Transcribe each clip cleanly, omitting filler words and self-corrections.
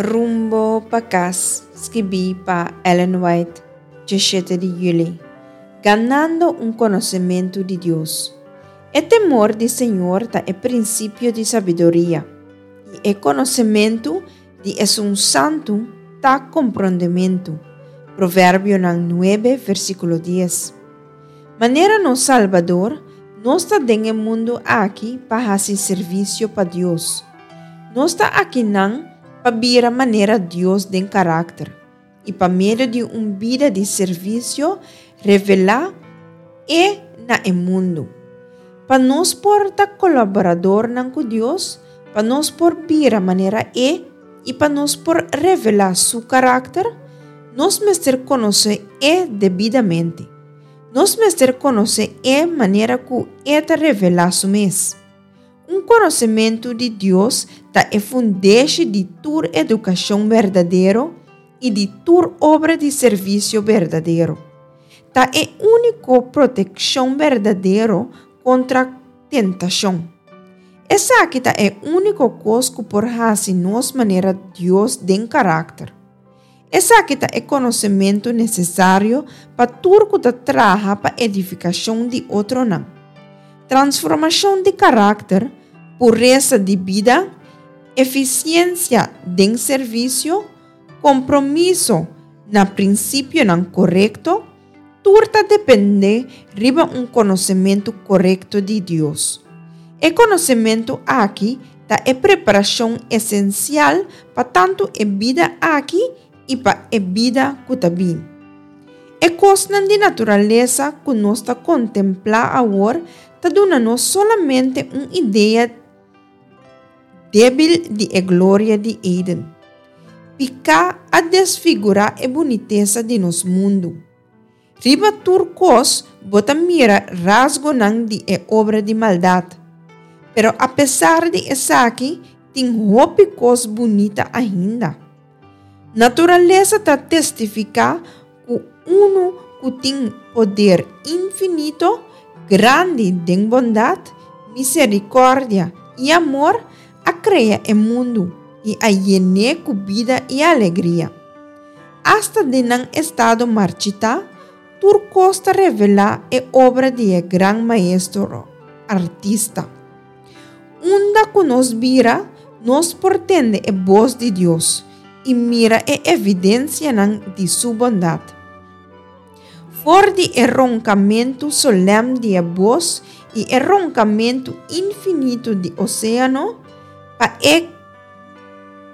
Rumbo pa Kas, skibí pa Ellen White, 17 di yüli. Ganando un konosementu di Dios. E temor di Señor ta e prinsipio di sabiduria, i e konosementu di Esun Santu ta komprondementu. Proverbionan nuebe versíkulo dies. Manera nos Salbador, nos ta den e mundu aki pa hasi servisio pa Dios. Nos ta akinan pa bira manera Dios den karakter i pa medio di un bida di servisio revelá E na e mundu. Pa nos por ta kolaboradornan ku Dios, pa nos por bira manera E i pa nos por revelá Su karakter, nos mester konosé E debidamente. Nos mester konosé E manera ku E ta revelá Su mes. Un konosementu di Dios ta e fundeshi di tur edukashon berdadero i di tur obra di servisio berdadero. Ta e úniko protekshon berdadero kontra tentashon. Esaki ta e úniko kos ku por hasi nos manera Dios den karakter. Esaki ta e konosementu nesesario pa tur ku ta traha pa edifikashon di otronan. Transformashon di karakter, puresa di bida, efisiensia den servisio, kompromiso na prinsipionan korekto, tur ta dependé riba un konosementu korekto di Dios. E konosementu aki ta e preparashon esensial pa tantu e bida aki i pa e bida ku ta bini. E kosnan di naturalesa ku nos ta kontemplá awor ta duna nos solamente un idea débil di e gloria di Eden. Piká a desfigurá e bunitesa di nos mundu. Riba tur kos bo ta mira rasgonan di e obra di maldat. Pero apesar di esaki tin hopi kos bunita ainda. Naturalesa ta testifiká ku unu ku tin poder infinito, grandi den bondat, miserikòrdia i amor a krea e mundu i a yen'é ku bida i alegria. Asta den nan estado marchitá, tur kos ta revelá e obra di e Gran Maestro Artista. Unda ku nos bira, nos por tende e bos di Dios i mira e evidensianan di su bondat. For di e ronkamentu solèm di e bos i e ronkamentu infinito di oséano, pa e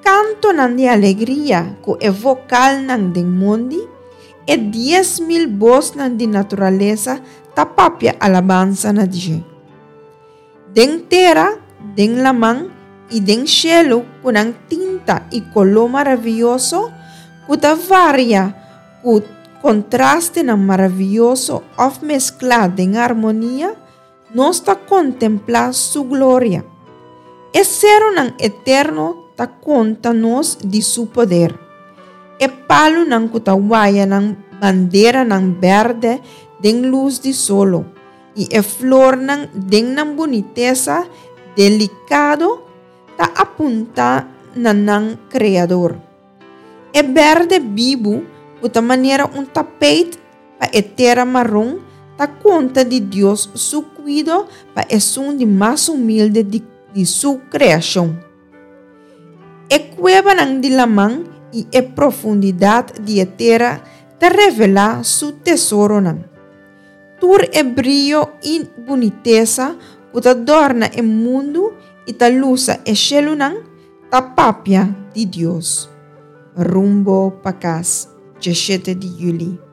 Kantonan di alegria ku e vokalnan den mondi, e 10,000 bosnan di naturalesa ta papia alabansa na dje. Den tera, den laman i den shelu ku nan tinta i koló maravioso ku ta varia ku kontrastenan maravioso òf mesklá den armonia, Nos ta kontemplá Su gloria. E serunan eterno ta konta nos di Su poder. E palunan ku ta waya nan banderanan bèrdè den lus di solo i e flornan den nan bunitesa delikado ta apuntá na nan Kreador. E bèrdè bibu ku ta manera un tapeit pa e tera maron ta konta di Dios su kuido pa esun di mas humilde di di su kreashon. E kuebanan di laman i e profundidat di e tera ta revelá su tesoronan. Tur e brio i bunitesa ku ta dòrna e mundu i ta lusa e shelunan Ta papia di Dios. Rumbo pa cas, 17 di juli.